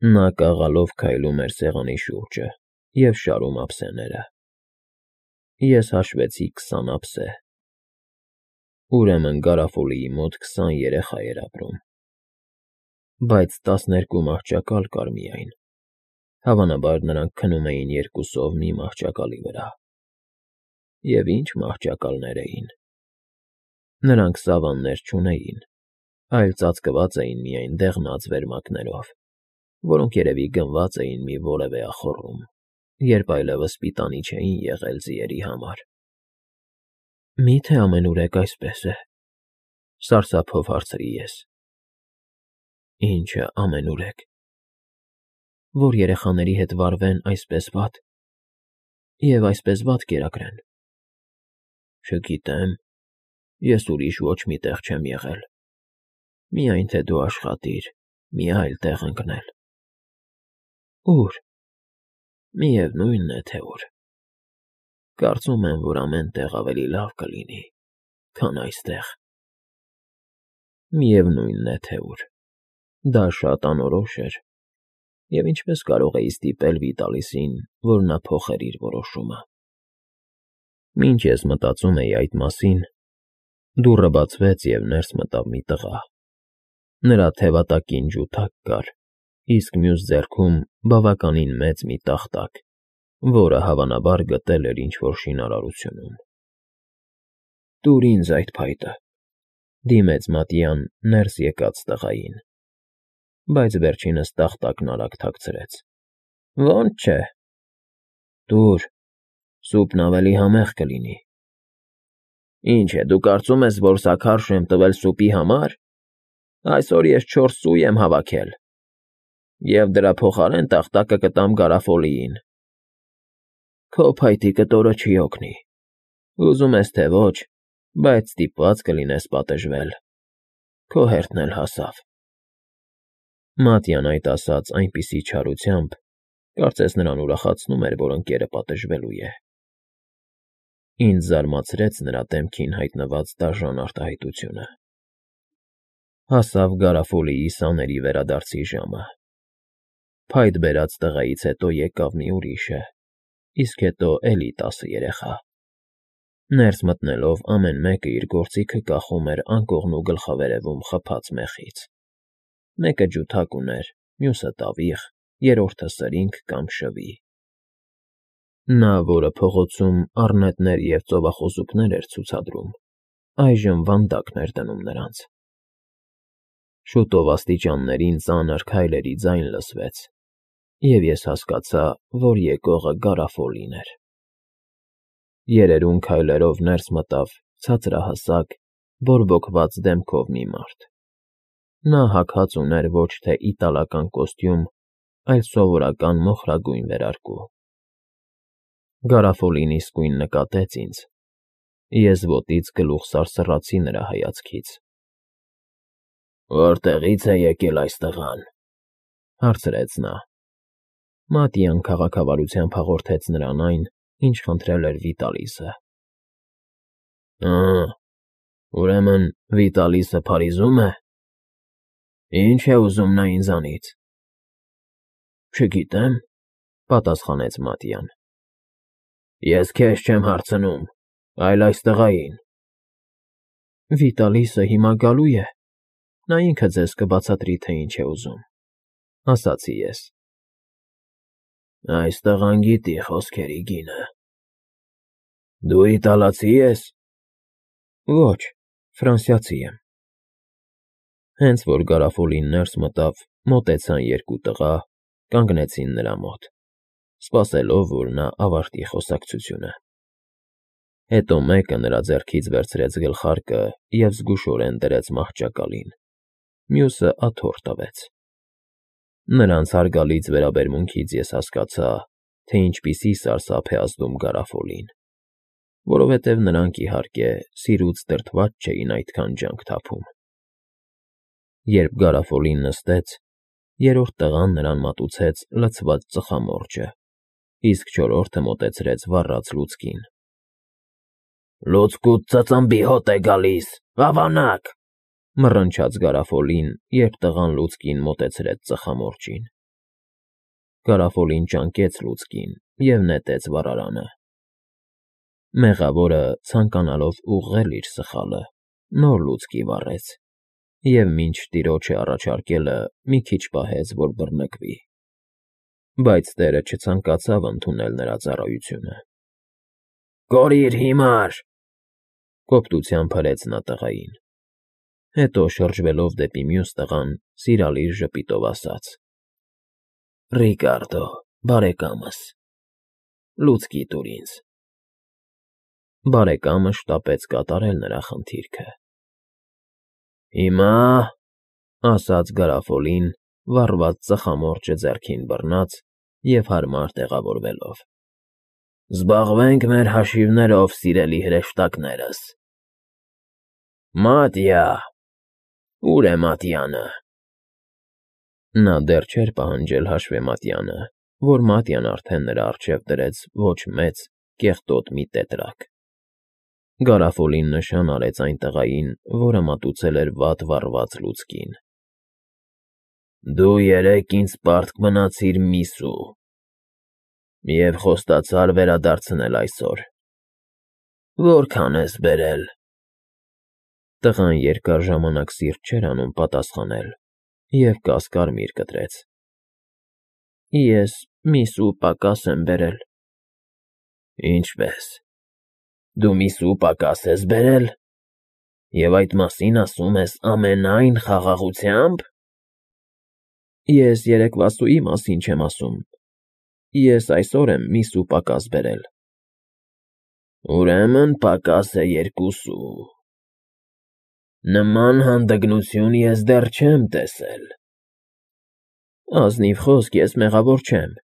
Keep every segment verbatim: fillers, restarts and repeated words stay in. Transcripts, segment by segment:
Նա կաղալով քայլում էր սեղանի շուրջը և շարում ափսեները։ Ես հաշվեցի քսան ափսե։ Ուրեմն Գարաֆոլիի մոտ քսան երեխա էր ապրում։ Բայց տասներկու մահճակալ կար միայն, հավանաբար նրանք քնում էին երկուսով մի մահճակալի վրա։ Եվ ինչ մահճակալներ էին։ Նրանք սավաններ չունեին, այլ ծածկված էին միայն դեղնած վերմակներով, որոնք երևի գնված էին մի որևէ ախոռում, երբ այլևս պիտանի չէին եղել ձիերի համար։ Մի՞թե ամենուրեք այսպես է,֊ սարսափով հարցրի ես։ Ի՞նչը ամենուրեք։ Որ երեխաների հետ վարվեն այսպես վատ և այսպես վատ կերակրեն։ Չգիտեմ, ես ուրիշ ոչ մի տեղ չեմ եղել, միայն թե դու աշխատիր մի այլ տեղ ընկնել։ Ո՞ւր։ Միևնույն է, թե ուր։ Կարծում եմ, որ ամեն տեղ ավելի լավ կլինի, քան այստեղ։ Միևնույն է, թե ուր։ Դա շատ անորոշ էր, և ինչպես կարող էի ստիպել Վիտալիսին, որ նա փոխեր իր որոշումը։ Մինչ ես մտածում էի այդ մասին, դուռը բացվեց, և ներս մտավ մի տղա։ Նրա թևատակին ջութակ կար, իսկ մյուս ձեռքում բավականին մեծ մի տախտակ, որը, հավանաբար, գտել էր ինչ֊որ շինարարությունում։ Տուր ինձ այդ փայտը,֊ դիմեց Մատյան ներս եկած տղային, բայց վերջինս տախտակն արագ թաքցրեց։ Ո՛նց չէ։ Տուր, սուպն ավելի համեղ կլինի։ Ինչ է, դու կարծում ես, որ սա քարշ եմ տվել սուպի համար։ Այսօր ես չորս սուի եմ հավաքել, և դրա փոխարեն տախտակը կտամ Գարաֆոլիին։ Քո փայտի կտորը չի օգնի։ Ուզում ես, թե ոչ, բայց ստիպված կլինես պատժվել։ Քո հերթն էլ հասավ։ Մատյան այդ ասաց այնպիսի չարությամբ, կարծես նրան ուրախացնում էր, որ ընկերը պատժվելու է։ Ինձ զարմացրեց նրա դեմքին հայտնված դաժան արտահայտությունը։ Հասավ Գարաֆոլիի սաների վերադարձի ժամը։ Փայտ բերած տղայից հետո եկավ մի ուրիշը, իսկ հետո էլի տասը երեխա։ Ներս մտնելով ամեն մեկը իր գործիքը կախում էր անկողնու գլխավերևում խփած մեխից։ Մեկը ջութակ ուներ, մյուսը տավիղ, երրորդը սրինգ կամ շվի։ Նա, որը փողոցում առնետներ և ծովախոզուկներ էր ցուցադրում, այժմ վանդակն էր դնում նրանց։ Շուտով աստիճաններին ծանր քայլերի ձայն լսվեց, և ես հասկացա, որ եկողը Գարաֆոլին էր։ Երերուն քայլերով ներս մտավ ցածրահասակ, բորբոքված դեմքով մի մարդ։ Նա հագած ուներ ոչ թե իտալական կոստյում, այլ սովորական մոխրագույն վերարկու։ Գարաֆոլին իսկույն նկատեց ինձ։ Ես ոտից գլուխ սարսռացի նրա հայացքից։ Որտեղի՞ց է եկել այս տղան,֊ հարցրեց նա։ Մատյան քաղաքավարությամբ հաղորդեց նրան այն, ինչ խնդրել էր Վիտալիսը։ Ա՜, ուրեմն Վիտալիսը Փարիզում է։ Ի՞նչ է ուզում նա ինձանից։ Չգիտեմ,֊ պատասխանեց Մատյան։ Ես քեզ չեմ հարցնում, այլ այս տղային։ Վիտալիսը հիմա գալու է։ Նա ինքը ձեզ կբացատրի, թե ինչ է ուզում,֊ ասացի ես։ Այս տղան գիտի խոսքերի գինը։ Դու իտալացի ես։ Ոչ, ֆրանսիացի եմ։ Հենց որ Գարաֆոլին ներս մտավ, մոտեցան երկու տղա, կանգնեցին նրա մոտ, սպասելով, որ նա ավարտի խոսակցությունը։ Հետո մեկը նրա ձեռքից վերցրեց գլխարկը և զգուշորեն դրեց մահճակալին, մյուսը աթոռ տվեց։ Նրանց հարգալից վերաբերմունքից ես հասկացա, թե ինչպիսի սարսափ է ազդում Գարաֆոլին, որովհետև նրանք, իհարկե, սիրուց դրդված չէին այդքան ջանք թափում։ Երբ Գարաֆոլին նստեց, երրորդ տղան նրան մատուցեց լցված ծխամորճը, իսկ չորրորդը մոտեցրեց վառած լուցկին։ Լուցկուդ ծծմբի հոտ է գալիս, ավանակ,֊ մռնչաց Գարաֆոլին, երբ տղան լուցկին մոտեցրեց ծխամորճին։ Կարաֆոլին ճանկեց լուցկին և նետեց վառարանը։ Մեղավորը, ցանկանալով ուղղել իր սխալը, նոր լուցկի վառեց և մինչ տիրոջը առաջարկելը մի քիչ պահեց, որ բռնկվի, բայց տերը չցանկացավ ընդունել նրա ծառայությունը։ «Կորիր հիմար,֊ կոպտությամբ հրեց նա տղային, հետո շրջվելով դեպի մյուս տղան, սիրալիր ժպիտով ասաց. «Ռիկարդո, բարեկամս, լուցկի տուր ինձ»։ Բարեկամը շտապեց կատարել նրա խնդիրքը։ «Հիմա,֊ ասաց Գարաֆոլին, վառված ծխամորճը ձեռքին բռնած և հարմար տեղավորվելով,֊ զբաղվենք մեր հաշիվներով, սիրելի հրեշտակներս։ Մատյա, ո՞ւր է Մատյանը»։ Նա դեռ չէր պահանջել հաշվեմատյանը, որ Մատյան արդեն նրա առջև դրեց ոչ մեծ, կեղտոտ մի տետրակ։ Գարաֆոլին նշան արեց այն տղային, որը մատուցել էր վատ վառված լուցկին։ «Դու երեկ ինձ պարտք մնացիր միսու և խոստացար վերադարձնել այսօր։ Որքա՞ն ես բերել»։ Տղան երկար ժամանակ սիրտ չէր անում պատասխանել և կասկարմիր կտրեց. «Ես միսու պակաս եմ բերել»։ «Ինչպե՞ս, դու միսու պակաս ես բերել, և այդ մասին ասում ես ամենայն խաղաղությո՞ւմբ»։ Ես երեկվասուի մասին չեմ ասում, ես այսօր եմ միսու պակաս բերել։ Ուրեմն պակաս է երկուսու։ Նման հանդգնություն ես դեռ չեմ տեսել։ Ազնիվ խոսք, ես մեղավոր չեմ։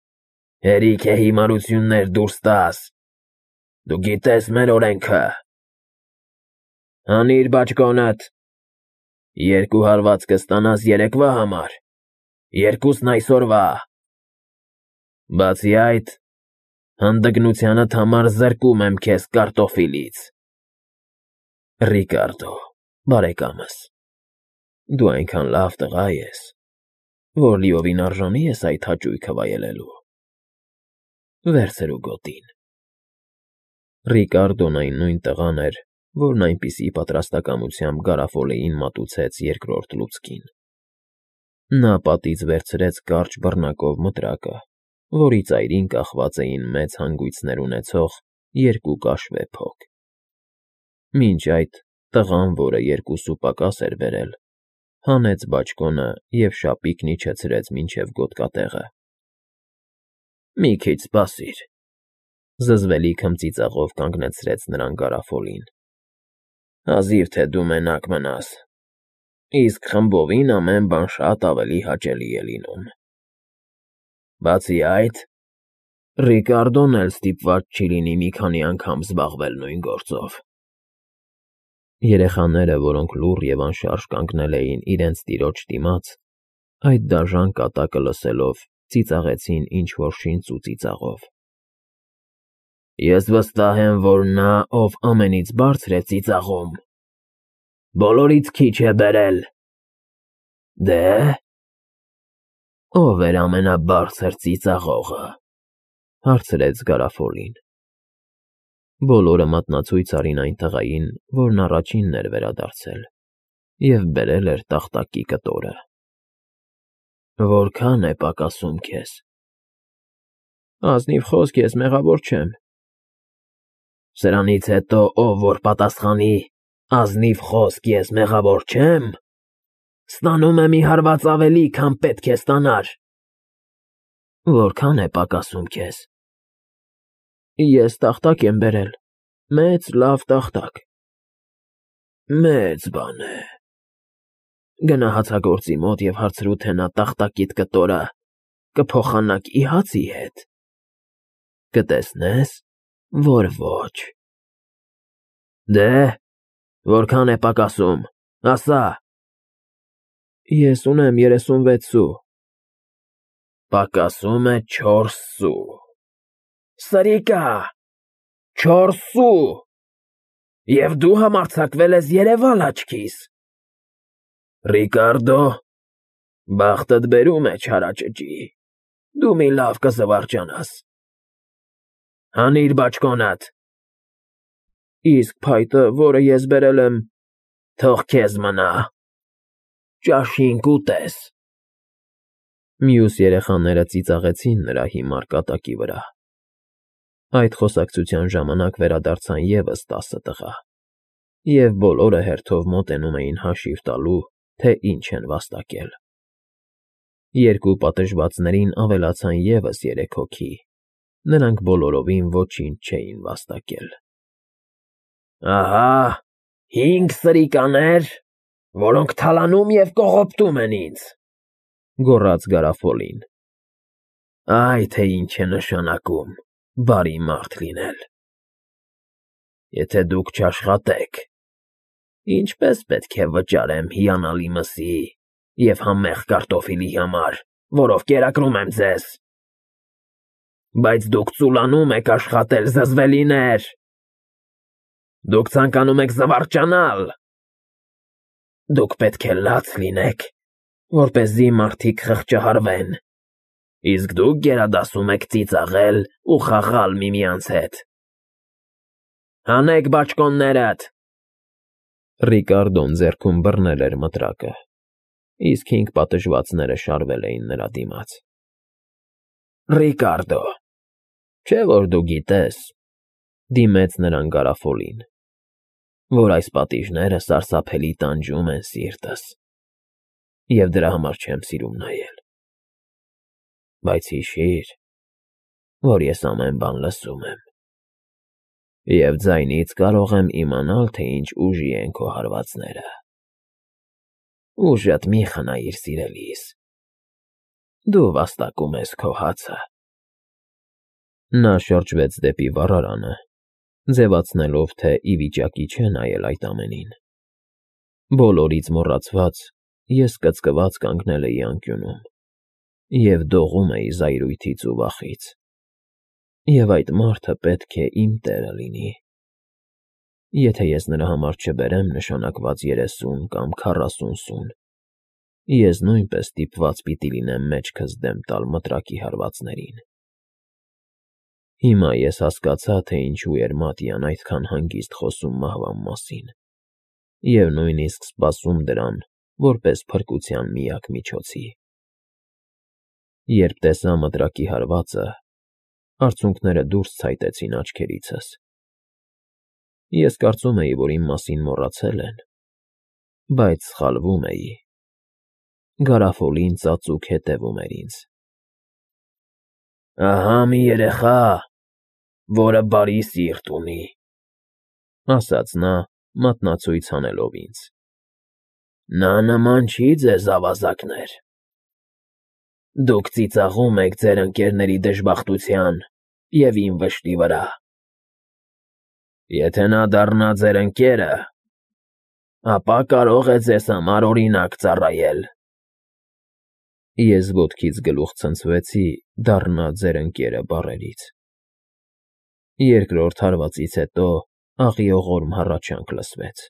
Հերիք է հիմարություններ դուրս տաս, դու գիտես մեր օրենքը։ Հանիր բաճկոնդ, երկու հարված կստանաս երեկվա համար, երկուսն այսօրվա։ Բացի այդ, հանդգնությանդ համար զրկում եմ քեզ կարտոֆիլից։ Ռիկարդո, բարեկամս, դու այնքան լավ տղա ես, որ լիովին արժանի ես այդ հաճույքը վայելելու։ Վերցրու գոտին։ Ռիկարդոն այն նույն տղան էր, որն այնպիսի պատրաստակամությամբ Գարաֆոլեին մատուցեց երկրորդ լուցկին։ Նա պատից վերցրեց կարճ բռնակով մտրակը, որի ծայրին կախված էին մեծ հանգույցներ ունեցող երկու կաշվե փոք։ Մինչ այդ տղան, որը երկուսու պակաս էր բերել, հանեց բաճկոնը և շապիկն իջեցրեց մինչև գոտկատեղը։ «Մի քիչ սպասիր,֊ զզվելի քմծիծաղով կանգնեցրեց նրան Գարաֆոլին,֊ հազիվ թե դու մենակ մնաս, իսկ խմբովին ամեն բան շատ ավելի հաճելի է լինում։ Բացի այդ, Ռիկարդոն էլ ստիպված չի լինի մի քանի անգամ զբաղվել նույն գործով»։ Երեխաները, որոնք լուռ և անշարժ կանգնել էին իրենց տիրոջ դիմաց, այդ դաժան կատակը լսելով, ծիծաղեցին ինչ֊որ շինծ ու ծիծաղով։ «Ես վստահ եմ, որ նա, ով ամենից բարձր է ծիծաղում, բոլորից քիչ է բերել։ Դե՞… Ո՞վ էր ամենաբարձր ծիծաղողը,֊ հարցրեց Գարաֆոլին։ Բոլորը մատնացույց արին այն տղային, որն առաջինն էր վերադարձել և բերել էր տախտակի կտորը։ «Որքա՞ն է պակասում քեզ»։ «Ազնիվ խոսք, ես մեղավոր չեմ»։ «Սրանից հետո ով որ պատասխանի՝ ազնիվ խոսք, ես մեղավոր չեմ, ստանում է մի հարված ավելի, քան պետք է ստանար»։ «Որքա՞ն է պակասում քեզ»։ «Ես տախտակ եմ բերել, մեծ լավ տախտակ»։ «Մեծ բան է։ Գնա հացագործի մոտ և հարցրու, թե նա տախտակիդ կտորը կփոխանակի հացի հետ։ Կտեսնես, որ ոչ։ Դե՞, որքա՞ն է պակասում, ասա»։ «Ես ունեմ երեսունվեց սու»։ «Պակասում է չորս սու։ Սրիկա՜, չորս սու, և դու համարձակվել ես երևալ աչքիս։ Ռիկարդո, բախտդ բերում է չարաճճի։ Դու մի լավ կզվարճանաս։ Հանիր բաճկոնդ։ Իսկ փայտը, որը ես բերել եմ, թող քեզ մնա։ Ճաշին կուտես։ Մյուս երեխաները ծիծաղեցին նրա հիմար կատակի վրա։ Այդ խոսակցության ժամանակ վերադարձան ևս տասը տղա, և բոլորը հերթով մոտենում էին հաշիվ տալու, թե ինչ են վաստակել։ Երկու պատժվածներին ավելացան ևս երեք հոգի, նրանք բոլորովին ոչինչ չէին վաստակել։ Ահա, հինգ սրիկաներ, որոնք թալանում և կողոպտում են ինձ,֊ գոռաց Գարաֆոլին։ Այ թե ինչ է նշանակում բարի մարդ լինել։ Եթե դուք չաշխատեք, ինչպե՞ս պետք է վճարեմ հիանալի մսի և համեղ կարտոֆիլի համար, որով կերակրում եմ ձեզ։ Բայց դուք ծուլանում եք աշխատել, զզվելիներ… Դուք ցանկանում եք զվարճանալ… Դուք պետք է լաց լինեք, որպեսզի մարդիկ խղճահարվեն, իսկ դուք գերադասում եք ծիծաղել ու խաղալ միմյանց հետ… Հանեք բաճկոններդ… Ռիկարդոն ձեռքում բռնել էր մտրակը, իսկ հինգ պատժվածները շարվել էին նրա դիմաց։ Ռիկարդո, չէ՞ որ դու գիտես,֊ դիմեց նրան Գարաֆոլին,֊ որ այս պատիժները սարսափելի տանջում են սիրտս, և դրա համար չեմ սիրում նայել։ Բայց հիշիր, որ ես ամեն բան լսում եմ, և ձայնից կարող եմ իմանալ, թե ինչ ուժի են քո հարվածները։ Ուժդ մի խնայիր, սիրելիս, դու վաստակում ես քո հացը։ Նա շրջվեց դեպի վառարանը, ձևացնելով, թե ի վիճակի չէ նայել այդ ամենին։ Բոլորից մոռացված, ես կծկված կանգնել էի անկյունում և դողում էի զայրույթից ու վախից, և այդ մարդը պետք է իմ տերը լինի։ Եթե ես նրա համար չբերեմ նշանակված երեսուն կամ քառասուն սուն, ես նույնպես ստիպված պիտի լինեմ մեջքս դեմ տալ մտրակի հարվածներին։ Հիմա ես հասկացա, թե ինչու էր Մատյան այդքան հանգիստ խոսում մահվան մասին և նույնիսկ սպասում դրան որպես փրկության միակ միջոցի։ Երբ տեսա մտրակի հարվածը, արցունքները դուրս ցայտեցին աչքերիցս։ Ես կարծում էի, որ իմ մասին մոռացել են, բայց սխալվում էի։ Գարաֆոլին ծածուկ հետևում էր ինձ։ Ահա մի երեխա, որը բարի սիրտ ունի,֊ ասաց նա, մատնացույց հանելով ինձ։ Նա նման չի ձեզ, ավազակներ… Դուք ծիծաղում եք ձեր ընկերների դժբախտության և իմ վշտի վրա։ Եթե նա դառնա ձեր ընկերը, ապա կարող է ձեզ համար օրինակ ծառայել։ Ես ոտքից գլուխ ցնցվեցի «դառնա ձեր ընկերը» բառերից։ Երկրորդ հարվածից հետո աղիողորմ հառաչանք լսվեց,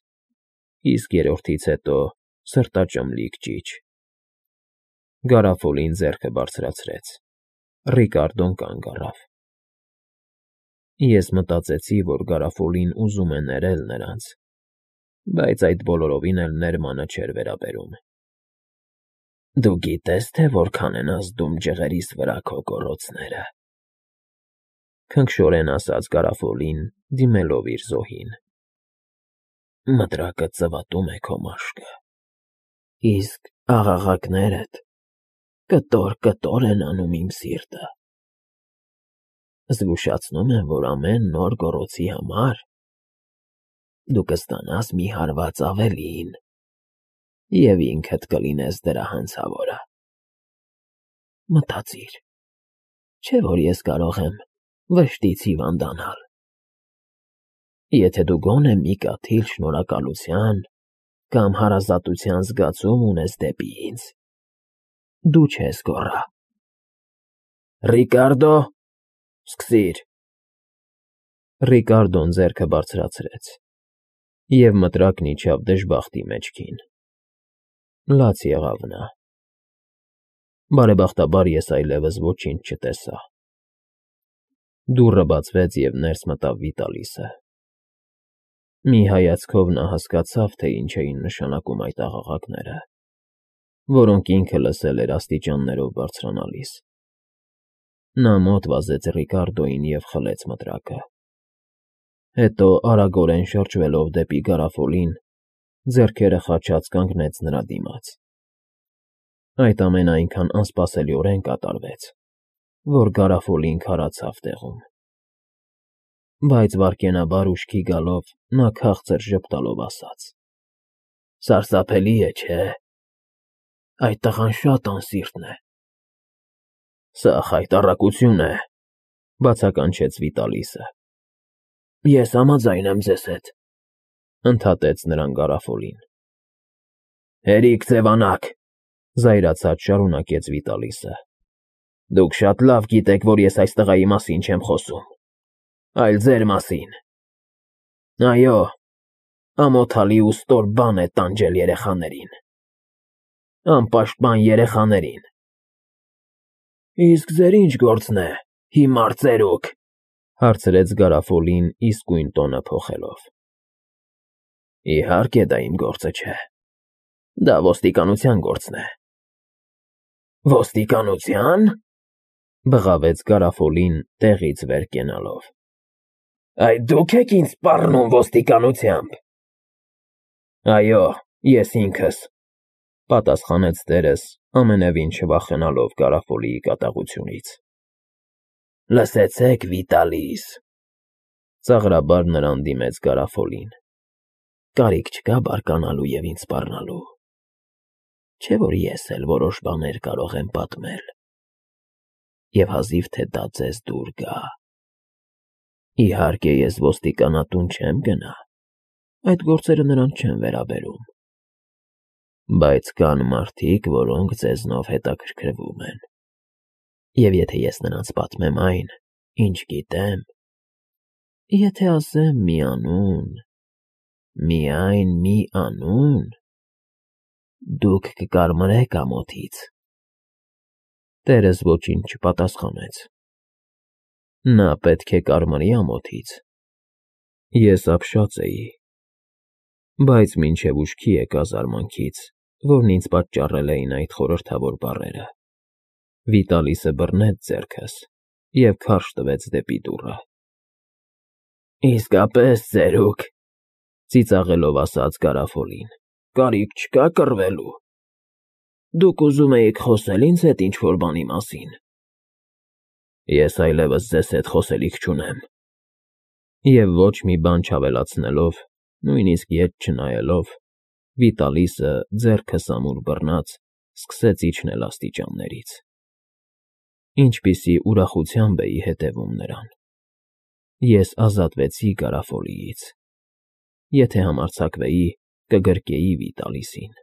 իսկ երրորդից հետո սրտաճմլիկ ճիչ։ Գարաֆոլին ձեռքը բարձրացրեց, Ռիկարդոն կանգ առավ։ Ես մտածեցի, որ Գարաֆոլին ուզում է ներել նրանց, բայց այդ բոլորովին էլ ներմանը չէր վերաբերում։ Դու գիտե՞ս, թե որքան են ազդում ջղերիս վրա քո գոռոցները,֊ քնքշորեն ասաց Գարաֆոլին, դիմելով իր զոհին։ Մտրակը ծվատում է քո մաշկը, իսկ աղաղակներդ կտոր֊կտոր են անում իմ սիրտը։ Զգուշացնում եմ, որ ամեն նոր գոռոցի համար դու կստանաս մի հարված ավելին, և ինքդ կլինես դրա հանցավորը։ Մտածիր, չէ՞ որ ես կարող եմ վշտից հիվանդանալ։ Եթե դու գոնե մի կաթիլ շնորհակալության կամ հարազատության զգացում ունես դեպի ինձ, դու չես գոռա։ Ռիկարդո, սկսիր… Ռիկարդոն ձեռքը բարձրացրեց, և մտրակն իջավ դժբախտի մեջքին։ Լաց եղավ նա։ Բարեբախտաբար ես այլևս ոչինչ չտեսա։ Դուռը բացվեց, և ներս մտավ Վիտալիսը։ Մի հայացքով նա հասկացավ, թե ինչ էին նշանակում այդ աղաղակները, որոնք ինքը լսել էր աստիճաններով բարձրանալիս։ Նա մոտ վազեց Ռիկարդոյին և խլեց մտրակը։ Հետո, արագորեն շրջվելով դեպի Գարաֆոլին, ձեռքերը խաչած կանգնեց նրա դիմաց։ Այդ ամենը այնքան անսպասելիորեն կատարվեց, որ Գարաֆոլին քարացավ տեղում։ Բայց վայրկենաբար ուշքի գալով նա քաղցր ժպտալով ասաց. «Սարսափելի է, չէ՞։ Այդ տղան շատ անսիրտ է»։ «Սա խայտառակություն է», բացականչեց Վիտալիսը։ «Ես համաձայն եմ ձեզ հետ», ընդհատեց նրան Գարաֆոլին։ «Հերիք ձևանաք», զայրացած շարունակեց Վիտալիսը։ «Դուք շատ լավ գիտեք, որ ես այս տղայի մասին չեմ խոսում, այլ ձեր մասին։ Այո, ամոթալի ու ստոր բան է տանջել երեխաներին, անպաշտպան երեխաներին»։ «Իսկ ձեր ի՞նչ գործն է, հիմար ծերուկ», հարցրեց Գարաֆոլին իսկույն տոնը փոխելով։ «Իհարկե դա իմ գործը չէ, դա ոստիկանության գործն է»։ «Ոստիկանությա՞ն», բղավեց Գարաֆոլին տեղից վեր կենալով։ «Այդ դու՞ք եք ինձ սպառնում ոստիկանությամբ»։ «Այո, ես ինքս», պատասխանեց տերս, ամենևին չվախենալով Գարաֆոլիի կատաղությունից։ «Լսեցեք, Վիտալիս», ծաղրաբար նրան դիմեց Գարաֆոլին, «կարիք չկա բարկանալու և ինձ սպառնալու։ Չէ՞ որ ես էլ որոշ բաներ կարող եմ պատմել, և հազիվ թե դա ձեզ դուր գա։ Իհարկե, ես ոստիկանատուն չեմ գնա, այդ գործերը նրան չեն վերաբերում։ Բայց կան մարդիկ, որոնք ձեզնով հետաքրքրվում են, և եթե ես նրանց պատմեմ այն, ինչ գիտեմ, եթե ասեմ մի անուն, միայն մի անուն, դուք կկարմրեք ամոթից»։ Տերս ոչինչ չպատասխանեց։ Նա պետք է կարմրի ամոթից։ Ես ապշած էի, բայց մինչև ուշքի եկա զարմանքից, որն ինձ պատճառել էին այդ խորհրդավոր բառերը։ Վիտալիսը բռնեց ձեռքս և քարշ տվեց դեպի դուռը։ «Իսկապես, ծերուկ», ծիծաղելով ասաց Գարաֆոլին, «կարիք չկա կռվելու։ Դուք ուզում էիք խոսե՞լ ինձ հետ ինչ֊որ բանի մասին»։ «Ես այլևս ձեզ հետ խոսելիք չունեմ»։ Եվ ոչ մի բան չավելացնելով, նույնիսկ ետ չնայելով, Վիտալիսը, ձեռքս ամուր բռնած, սկսեց իջնել աստիճաններից։ Ինչպիսի ուրախությամբ էի հետևում նրան։ Ես ազատվեցի Գարաֆոլիից։ Եթե համարձակվեի, կգրկեի Վիտալիսին։